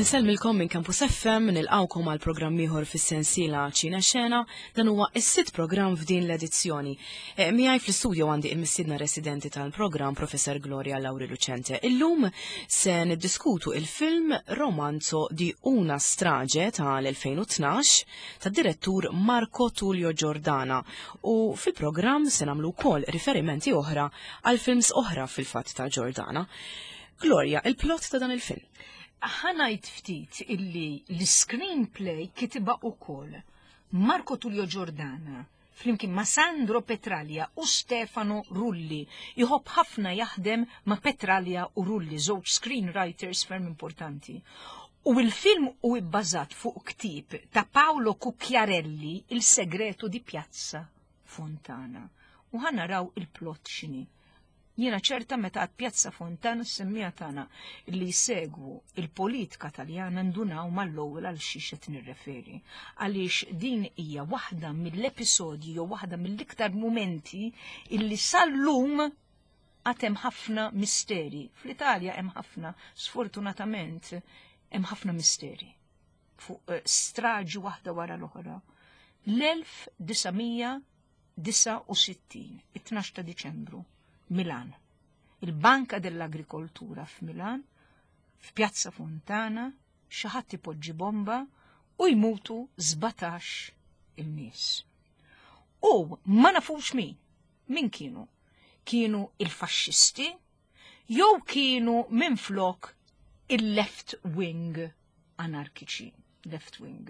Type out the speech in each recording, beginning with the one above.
Insellmilkom minn Campus FM nilqawkom għal programm ieħor fis-sensiela Ċina Xena, dan huwa s-sitt programm f'din l-edizzjoni. E, miegħi fl-istudio għandi il-mistiedna residenti tal-programm Professor Gloria Lauri Lucente. Illum se niddiskutu il-film Romanzo di una strage tal-2012 tad-direttur Marco Tullio Giordana u fil-programm se nagħmlu wkoll riferimenti oħra għal films oħra fil-fatt ta' Giordana. Gloria, il-plot ta' dan il-film. Ħanajt ftit illi l-screenplay kitiba ukoll Marco Tullio Giordana flimkien ma' Sandro Petralia u Stefano Rulli. Iħobb ħafna jaħdem ma' Petralia u Rulli, żewġ screenwriters ferm importanti. U il-film u bbażat fuq ktieb ta' Paolo Cucchiarelli, Il Segreto di Piazza Fontana. U ħanaraw il-plot x'inhi. Jiena ċerta meta għad Pjazza Fontana s-semmija tagħna li jsegwu il-politika Taljana ndunaw mal-ewwel għal xiex qed nirreferi. Għaliex din hija waħda mill-episodji jew waħda mill-iktar mumenti illi sal-lum għad hemm ħafna misteri. Fl-Italja hemm ħafna, sfortunatament, hemm ħafna misteri fuq eh, straġi waħda wara l-oħra. L-1900 69, it-12 ta' Diċembru, Milan. Il-Banka dell'Agrikoltura f'Milan, f'Pjazza Fontana, xi ħadd ipoġġi bomba u jmutu 17 il-nies. U ma nafux min, min kienu? Kienu il-faxxisti jew kienu minflok il-left wing anarkiċi, left wing.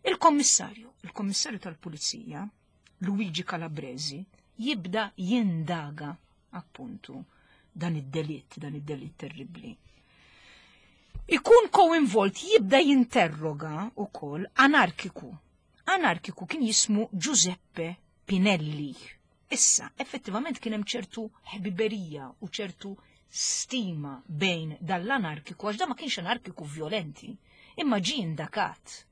Il-kommissarju, il-kommissarju tal-pulizija, Luigi Calabresi, jibda jindaga appuntu dan id-delitt, dan id-delitt terribli. Ikun koinvolt jibda jinterroga ukoll anarkiku. Anarkiku kien jismu Giuseppe Pinelli. Issa, effettivament kien hemm ċertu ħbiberija u ċertu stima bejn dal-anarkiku, għax da ma kienx anarkiku violenti, imma ġie indakat.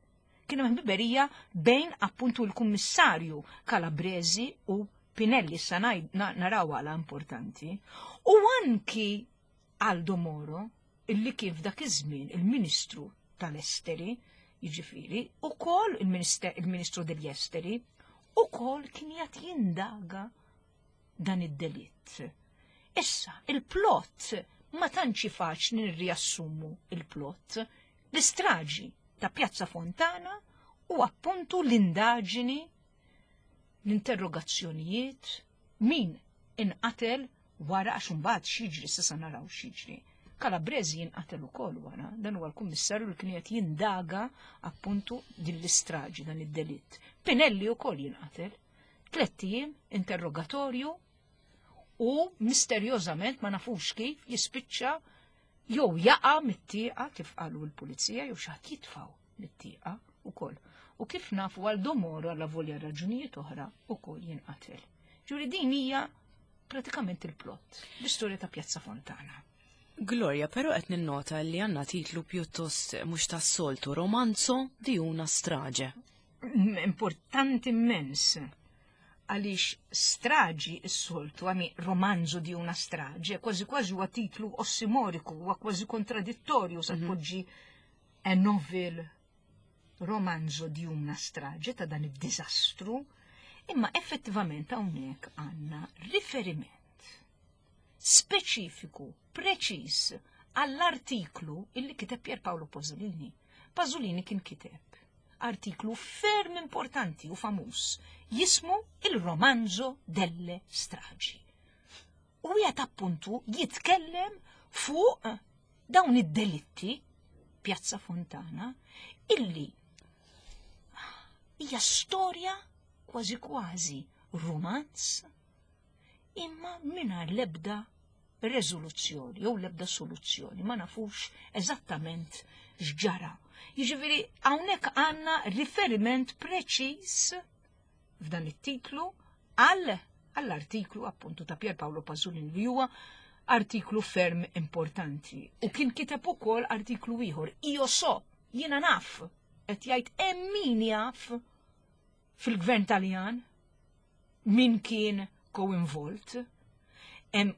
Kien hemm ħbiberija bejn appuntu l-kummissarju Calabresi u Pinelli, issa naraw għala importanti, u anki Aldo Moro, illi kien f'dak iż-żmien il-Ministru tal-Esteri, jiġifieri, ukoll il-Ministru degli Esteri, ukoll kien jgħat jindaga dan id-delitt. Issa, il-plot ma tantx faċli nirriassumu il-plot. L-istraġi ta' Pjazza Fontana u appuntu l-indaġini, l-interrogazzjonijiet, min inqatel wara għax imbagħad x'jiġri s'issa naraw x'jiġri. Calabresi jinqatel ukoll wara, dan huwa l-kummissarju li kien qed jindaga appuntu din l-istraġi dan id-delitt. Pinelli wkoll jinqatel. Tlett ijiem interrogatorju u misterjożament ma nafux kif jispiċċa jew jaqa' mit-tieqa kif qalu l-pulizija jew xi ħadd jitfgħu mit-tieqa ukoll. U kif nafu għal Domoro għal volja raġunijiet oħra ukoll jinqatel. Ġuri din hija pratikament il-plot, l-istorja ta' Pjazza Fontana. Gloria, però qed ninnota li għandna titlu pjuttost mhux tas-soltu, Romanzo di una strage. Importanti immens għaliex straġi s-soltu, għami romanzo di una strage, kważi kważi huwa titlu ossimoriku, huwa kważi kontradittorju sa mhm. tpoġġi a novel romanzo di una strage ta' dan id-diżastru, imma effettivament hawnhekk għandna riferiment speċifiku, preċiż għall-artiklu illi kiteb Pier Paolo Pasolini. Pasolini kien kiteb artiklu ferm importanti u famuż jismu Il-Romanzo delle Stragi. U jgħat appuntu jitkellem fuq dawn id-delitti Pjazza Fontana illi hija storja kważi kważi romanz imma mingħajr l-ebda reżoluzzjoni jew l-ebda soluzzjoni, ma nafux eżattament x'ġara. Jiġifieri hawnhekk għandna riferiment preċiż f'dan it-titlu għal għall-artiklu appuntu ta' Pier Paolo Pasolini li huwa artiklu ferm importanti. U kien kiteb ukoll artiklu ieħor, io so, jiena naf, qed jgħid hemm min jaf fil-gvern Taljan min kien co-involt.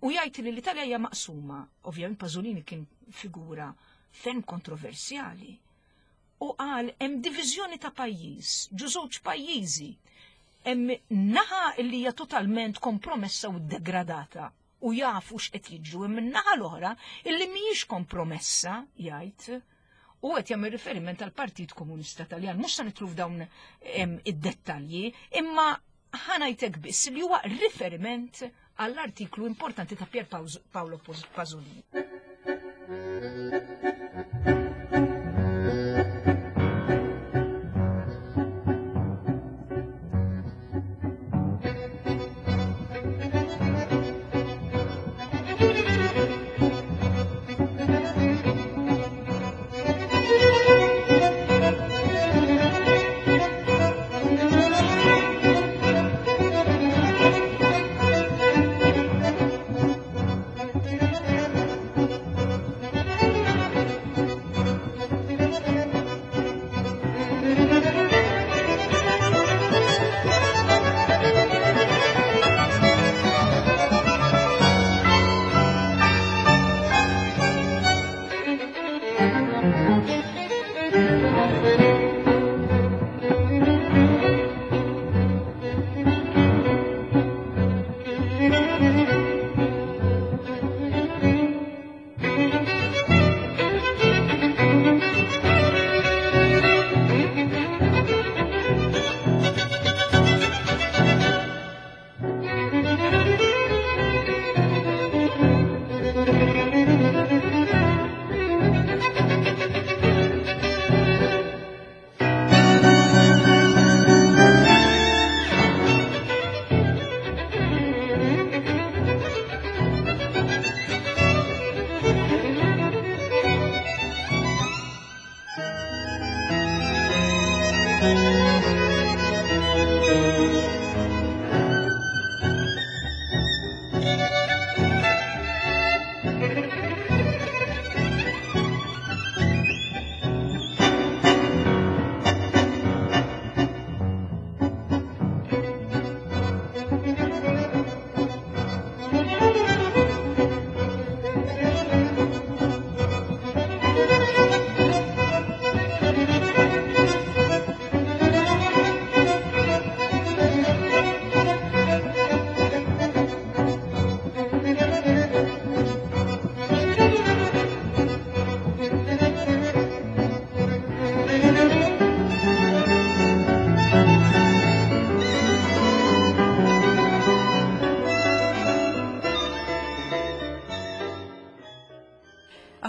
U jgħid li l-Italja hija maqsuma, ovvjament Pasolini kien figura ferm kontroversjali u qal hemm diviżjoni ta' pajjiż, ġo żewġ pajjiżi. Hemm naħa li hija totalment kompromessa u degradata u jafu x'qed jiġru, hemm in-naħa l-oħra illi mhijiex kompromessa, jgħid, u qed jagħmel riferiment għal Partit Komunista Taljan. Mhux se nitlu f'dawn id-dettalji, imma ħanajtek biss li huwa riferiment għall-artiklu importanti ta' Pier Paolo Pasolini.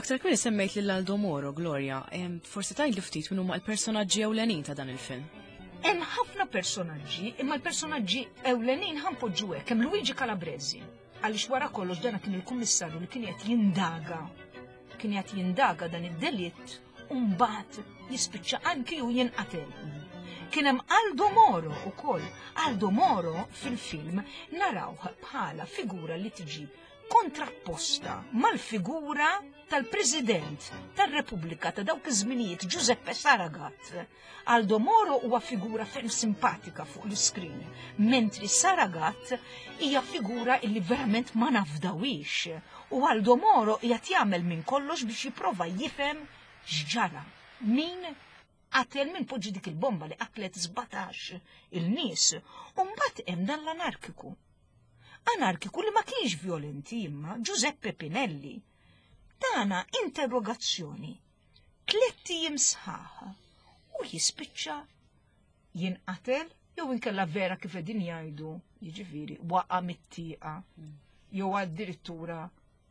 Aktar kmieni semmejt lil Aldo Moro, Gloria, forsi tgħidli ftit min huma l-personaġġi ewlenin ta' dan il-film. Hemm ħafna personaġġi, imma l-personaġġi ewlenin ħanpoġġu hekk, hemm Luigi Calabresi, għaliex wara kollox dana kien il-kummissarju li kien qed jindaga kien qed jindaga dan id-delitt u mbagħad jispiċċa anki hu jinqatel. Kien hemm Aldo Moro ukoll. Aldo Moro fil-film narawh bħala figura li tiġi kontrapposta mal-figura tal-President tar-Repubblika ta' dawk iż-żminijiet Giuseppe Saragat. Aldo Moro huwa figura ferm simpatika fuq l-iskrin, mentri Saragat hija figura illi verament ma nafdawix. U Aldo Moro qiegħed jagħmel minn kollox biex jipprova jifhem x'ġara. Min qatel min poġġi dik il-bomba li qatlet 17 il-nies. U mbagħad hemm dan l-anarkiku. Anarkiku li ma kienx violenti imma Giuseppe Pinelli. Tana interrogazzjoni tlett ijiem sħaħ u jispiċċa jinqatel jew inkella vera kif qegħdin jgħidu, jiġifieri waqa' mit-tieqa jew addirittura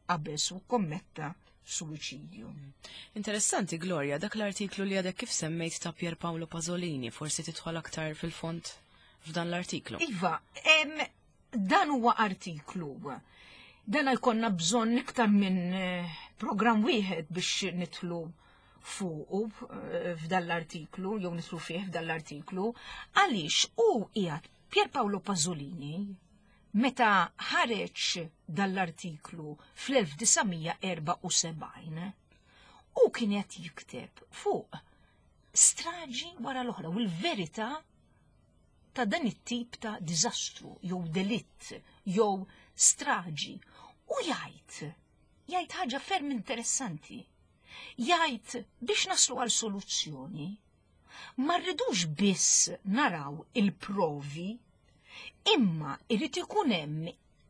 qabeż u kommetta suwiċidju. Interessanti, Gloria, dak l-artiklu li għadek kif semmejt ta' Pier Paolo Pasolini, forsi tidħol aktar fil-fond f'dan l-artiklu. Iva, dan huwa artiklu. Dan jkollna bżonn iktar minn eh, programm wieħed biex nitlu fuqu eh, f'dan l-artiklu, jew nitlu fih f'dan l-artiklu, għaliex u qiegħed Pier Paolo Pasolini meta ħareġ dan l-artiklu fl-1974 u kien qed jikteb fuq straġi wara l-oħra u l-verità ta' dan it-tip ta' diżastru jew delitt jew straġi u jgħid jgħid ħaġa ferm interessanti. Jgħid biex naslu għal soluzzjoni, ma rridux biss naraw il-provi, imma irrid ikun hemm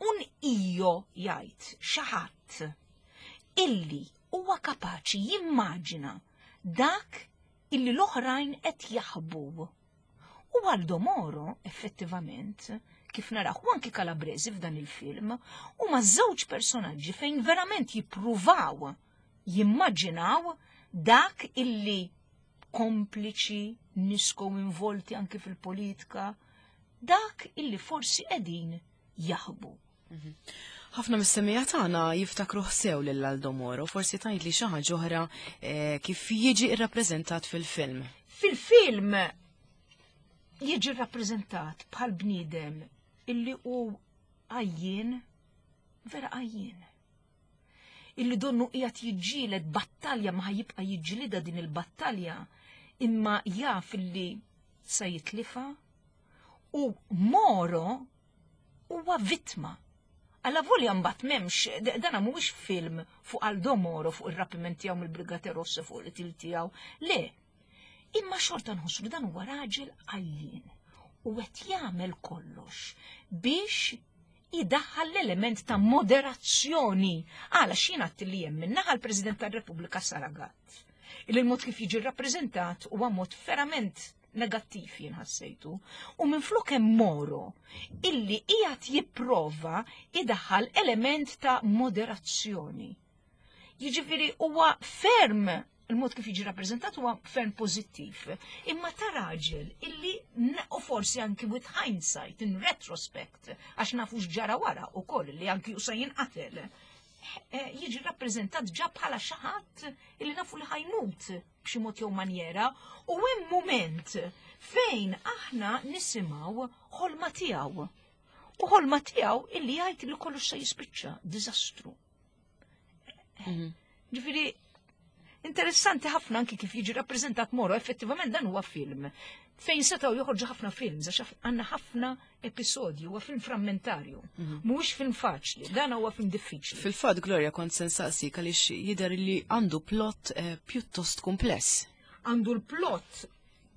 un io jgħid xi ħadd illi huwa kapaċi jimmaġina dak illi l-oħrajn qed jaħbu. U Aldo Moro, effettivament, kif naraw u anki Calabresi f'dan il-film, huma żewġ personaġġi fejn verament jippruvaw jimmaġinaw dak illi kompliċi, nies involti anki fil-politika, dak illi forsi qegħdin jaħbu. Ħafna mis-semmiegħa tagħna jiftakru sew lil Aldo Moro, forsi tgħidli xi ħaġa oħra kif jiġi rrappreżentat fil-film. Fil-film jiġi rrappreżentat bħal bniedem illi hu għajjien, vera għajjien. Illi donnu qiegħed jiġġieled battalja ma jibqa' jiġġielidha din il-battalja imma jaf illi sa jitlifa u Moro huwa vittma. Alla volja mbagħad m'hemmx, dana mhuwiex film fuq Aldo Moro fuq ir-rapiment tiegħu mill-Brigate Rosse fuq il-qtil tiegħu. Le, imma xorta nħossu li dan huwa raġel għajjien u qed jagħmel kollox biex idaħħal l-element ta' moderazzjoni. Għala x'jien għadt li hemm min-naħa l-President tar-Repubblika Saragat. Il-mod kif jiġi rrappreżentat huwa mod verament negattiv jien ħassejtu. U minflok hemm Moro illi qiegħed jipprova idaħħal element ta' moderazzjoni. Jiġifieri huwa ferm il-mod kif jiġi rappreżentat huwa ferm pożittiv. Imma ta' raġel illi u forsi anki with hindsight, in retrospect, għax nafu x'ġara wara ukoll li anki u se jinqatel. Jiġi rappreżentat ġa bħala xi ħadd illi nafu li ħa jmut b'xi mod jew manjera u hemm moment fejn aħna nisimgħu ħolma tiegħu. U ħolma tiegħu illi jgħid li kollox se jispiċċa diżastru. Ġifieri interessanti ħafna anki kif jiġi rappreżentat Moro, effettivament dan huwa film fejn setgħu joħorġu ħafna films, għax għandna ħafna episodji, huwa film frammentarju. Mhuwiex film faċli, dan huwa film diffiċli. Fil-fatt, Gloria, kont se nsaqsik għaliex jidher li għandu plot pjuttost kumpless. Għandu l-plot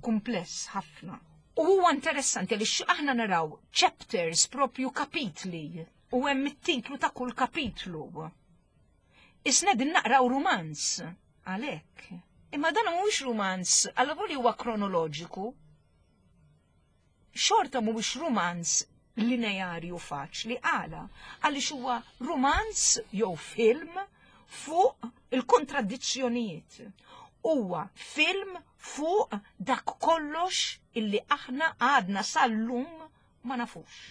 kumpless ħafna. U huwa interessanti li aħna naraw chapters propju kapitli u hemm it-titlu ta' kull kapitlu. Isna din naqraw rumanz għalhekk. Imma dan mhuwiex rumanz, għal li huwa kronoloġiku. Xorta mhuwiex rumanz lineari u faċli għala, għaliex huwa rumanz jew film fuq il-kontradizzjonijiet. Huwa film fuq dak kollox illi aħna għadna sal-lum ma nafux.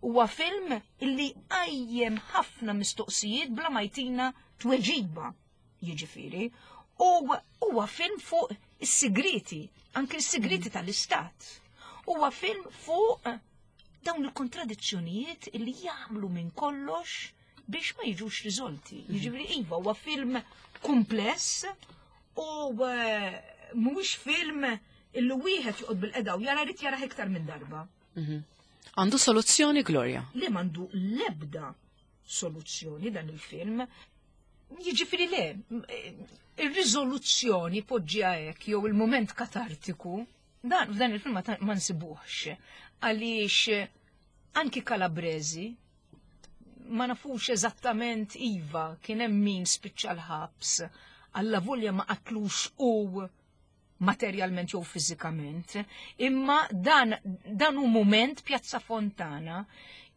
Huwa film illi qajjem ħafna mistoqsijiet bla ma jtina tweġiba, jiġifieri. U huwa film fuq is-sigriti, anke s-sigriti tal-istat. Huwa film fuq dawn il-kontradizzjonijiet illi jagħmlu minn kollox biex ma jiġux riżolti. Jiġifieri iva huwa film kumpless u mhuwiex film illi wieħed joqgħod bil-qeda u jara jrid jarah iktar minn darba. Għandu soluzzjoni, Gloria? Le, m'għandu l-ebda soluzzjoni dan il-film. Jiġifieri le, ir-riżoluzzjoni poġġiha hekk jew il-moment katartiku, dan f'dan il-film ma nsibuhx. Għaliex anki Calabresi ma nafux eżattament iva kien hemm min spiċċa l-ħabs, alla volja ma qatlux u materjalment jew fiżikament, imma dan hu moment Pjazza Fontana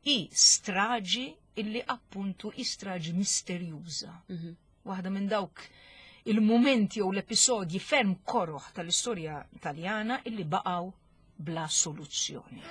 i straġi illi appuntu i straġi misterjuża. Waħda minn dawk il-momenti jew l-episodji ferm koroħ tal-istorja Taljana illi baqgħu bla soluzzjoni.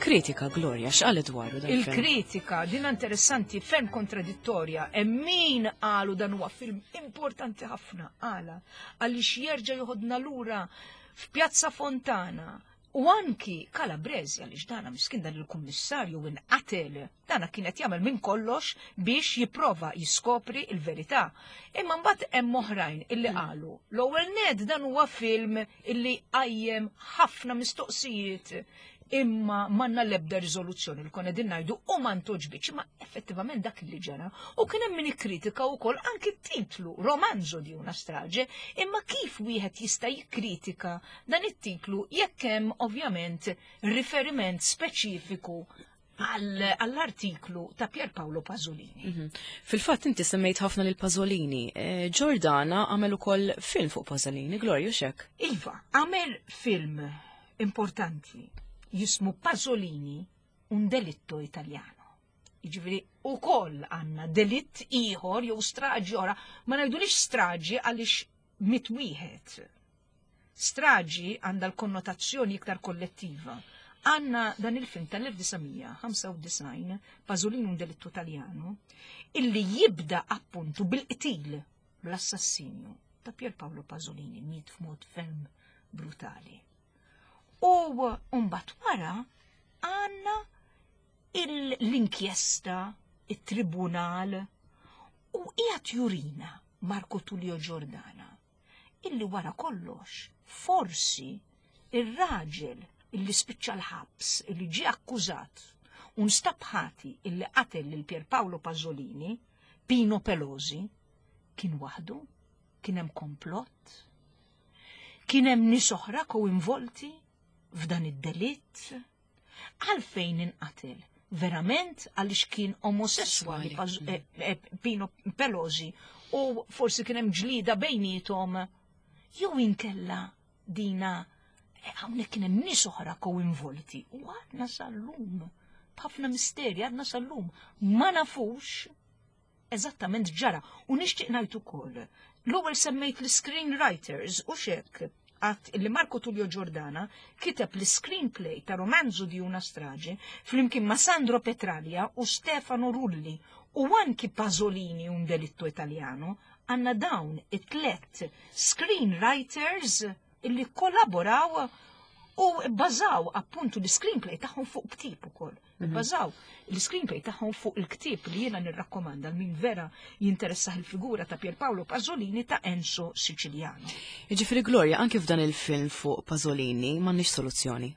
Il-kritika, Gloria, x'qalet dwaru dan Il-kritika, din interessanti, ferm kontradittorja, hemm min qalu dan huwa film importanti ħafna għala għaliex jerġa' joħodna lura f'Pjazza Fontana u anki Calabresi għaliex dana miskin dan il-kummissarju inqatel, dana kien qed jagħmel minn kollox biex jipprova jiskopri il-verità. Imma mbagħad hemm oħrajn illi hmm. qalu l-ewwel ned dan huwa film illi qajjem ħafna mistoqsijiet imma manna lebda riżoluzzjoni li konna din ngħidu u ma ntoġbitx, ma effettivament dak li ġara. U kien hemm min ikkritika wkoll anki t-titlu Romanzo di una strage, imma kif wieħed jista' jikkritika dan it-titlu jekk hemm ovvjament riferiment speċifiku għall-artiklu ta' Pier Paolo Pasolini. Mhm. Fil-fatt inti semmejt ħafna lil Pasolini. Eh, Giordana għamel ukoll film fuq Pasolini, Glorju xek. Iva, għamel film importanti jismu Pasolini un delitto italiano. Jiġifieri ukoll għandna delitt ieħor jew straġi oħra, ma ngħidulix straġi għaliex mit wieħed. Straġi għandha l-konnotazzjoni iktar kollettiva. Għandna dan il-film tal-1995, Pasolini un delitto Italiano, illi jibda appuntu bil-qtil, bl-assassinju ta' Pier Paolo Pasolini, miet f'mod ferm brutali. U mbagħad wara għandna l-inkjesta, it-tribunal u qiegħed jurina Marco Tullio Giordana illi wara kollox forsi ir-raġel illi spiċċa l-ħabs, illi ġie akkużat u nstab ħati illi qatel lil Pier Paolo Pasolini, Pino Pelosi, kien waħdu, kien hemm komplott, Kien hemm nies oħra koinvolti f'dan id-delitt? Għalfejn inqatel? Verament għaliex kien omosessuali eh, eh, Pino Pelosi u forsi kien hemm ġlida bejniethom jew inkella dina eh, hawnhekk kien hemm nies oħra koinvolti u għadna sal-lum b'ħafna misteri għadna sal-lum ma nafux eżattament ġara. U nixtieq ngħid ukoll, l-ewwel semmejt l-screenwriters u xek għat li Marco Tullio Giordana kiteb l-screenplay ta' Romanzo di una strage flimkien ma' Sandro Petralia u Stefano Rulli u anki Pasolini un delitto italiano għanna dawn it-tlet screenwriters illi kollaboraw u bbażaw appuntu l-screenplay tagħhom fuq ktieb ukoll. Mhm. Bbażaw l-screenplay tagħhom fuq il-ktieb li jiena nirrakkomanda min vera jinteressah il-figura ta' Pier Paolo Pasolini ta' Enzo Siciliano. Jiġifieri Gloria, anki f'dan il-film fuq Pasolini m'għandniex soluzzjoni.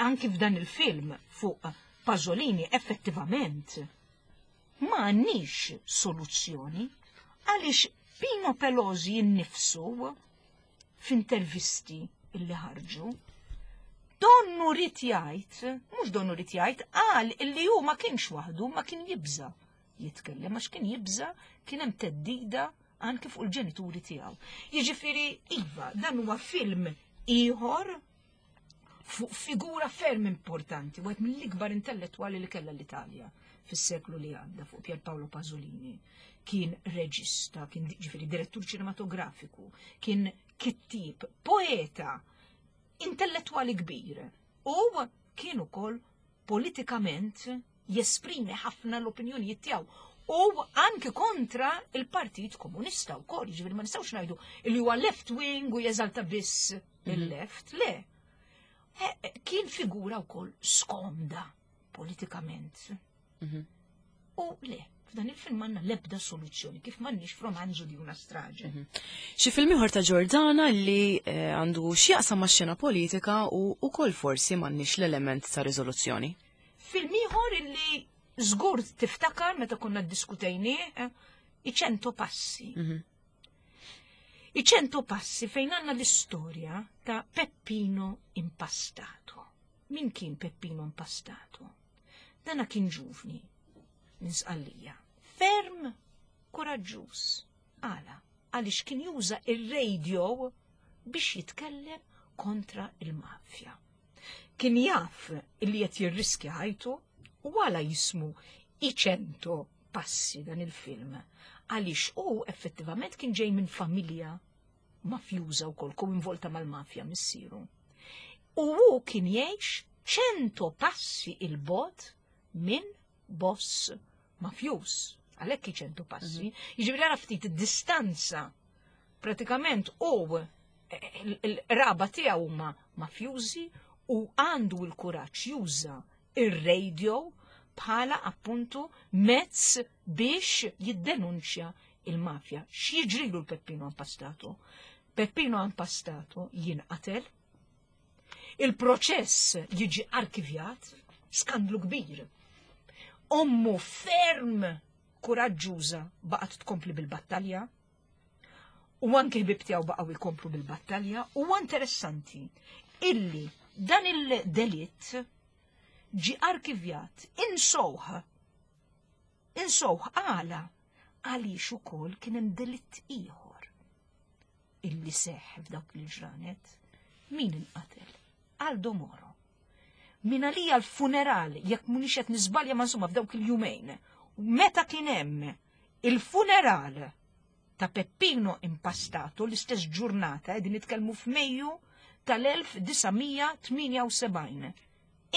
Anki f'dan il-film fuq Pasolini effettivament ma għandniex soluzzjoni għaliex Pino Pelosi nnifsu f'intervisti illi ħarġu, donnu rid jgħid, mhux donnu rid jgħid, qal illi hu ma kienx waħdu, ma kien jibża jitkellem għax kien jibża kien hemm teddida anki fuq il-ġenituri tiegħu. Jiġifieri iva, dan huwa film ieħor fuq figura ferm importanti, wieħed mill-ikbar intellettwali li kellha l-Italja fis-seklu li għadda fuq Pier Paolo Pasolini. Kien reġista, kien ġifieri direttur ċinematografiku, kien kittib, poeta, intellettwali kbir. U kien ukoll politikament jesprimi ħafna l-opinjonijiet tiegħu u anki kontra il-Partit Komunista wkoll, jiġifieri ma nistgħux ngħidu li huwa left wing u jeżalta biss mhm. il-left, le. Eh, eh, kien figura wkoll skomda politikament. Mhm. U le, f'dan il-film għandna l-ebda soluzzjoni, kif m'għandniex f'romanzu di una strage. Mhm. Xi film ieħor ta' Ġordana li eh, għandu x'jaqsam max-xena politika u wkoll forsi m'għandniex l-element ta' riżoluzzjoni. Film ieħor illi żgur tiftakar meta konna ddiskutejnieh, eh, i ċento passi. Mhm. I ċento passi fejn għandna l-istorja ta' Peppino Impastato. Min kien Peppino Impastato? Dana kien ġuvni minn Sqallija. Ferm kuraġġuż. Għala, għaliex kien juża ir-radio biex jitkellem kontra il-mafja. Kien jaf li qed jirriskja ħajtu u għala jismu Iċento passi dan il-film għaliex hu effettivament kien ġej minn familja mafjuża wkoll koinvolta mal-mafja missieru. U hu kien jgħix 100 passi il-bogħod minn boss mafjuż. Għalhekk 100 passi. Jiġifieri ara ftit id-distanza. Pratikament u l-raba tiegħu huma mafjużi u għandu l-kuraġġ juża ir-radio bħala appuntu mezz biex jiddenunċja il-mafja. X'jiġrilu l-Peppino Impastato? Peppino Impastato jinqatel, il-proċess jiġi arkivjat, skandlu kbir. Ommu ferm kuraġġuża baqgħet tkompli bil-battalja, u anke ħbib tiegħu baqgħu jkomplu bil-battalja, u interessanti illi dan il-delitt ġi arkivjat insowħ. Insowħ għala għaliex ukoll kien hemm delitt ieħor illi seħħ f'dawk il-ġranet. Min inqatel? Aldo Moro. Min għalija l-funeral, jekk mhunix qed niżbalja ma insomma f'dawk il-jumejn, meta kien hemm il-funeral ta' Peppino Impastato l-istess ġurnata qegħdin nitkellmu f'Mejju tal-1978.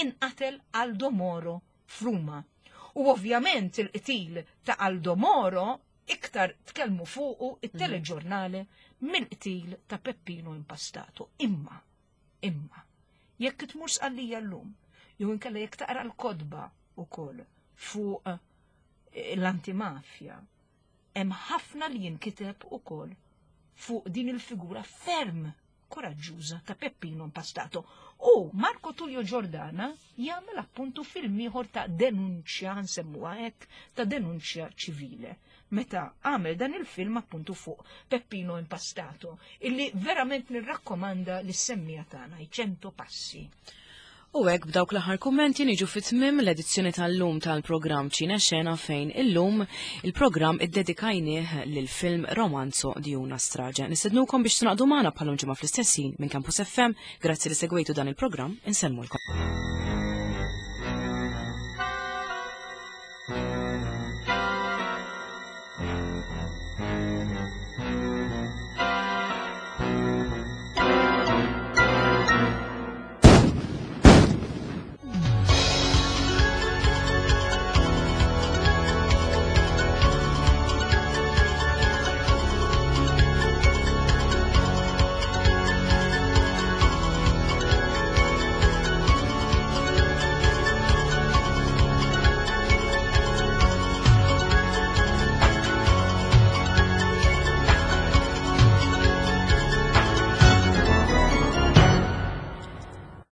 Inqatel Aldo Moro f'Ruma. U ovvjament il-qtil ta' Aldo Moro iktar tkellmu fuqu it-teleġurnale mill-qtil ta' Peppino Impastato. Imma, imma, jekk tmur Sqallija llum, jew inkella jekk taqra l-kotba wkoll fuq l-antimafja, hemm ħafna li jinkiteb ukoll fuq din il-figura ferm koraġġuża ta' Peppino Impastato. U Marco Tullio Giordana jagħmel appuntu film ieħor ta' denunċja, nsemmuha hekk, ta' denunċja ċivile. Meta għamel dan il-film appuntu fuq Peppino Impastato, illi verament nirrakkomanda lis-semmija tagħna, i 100 passi. U hekk b'dawk l-aħħar kummenti niġu fi tmiem l-edizzjoni tal-lum tal-programm Ċine Xena fejn illum il-programm iddedikajnieh lil film Romanzo di una strage. Nistednukom biex tingħaqdu magħna bħalum ġimgħa fl-istess ħin minn Campus FM. Grazzi li segwejtu dan il-programm, insellmulkom.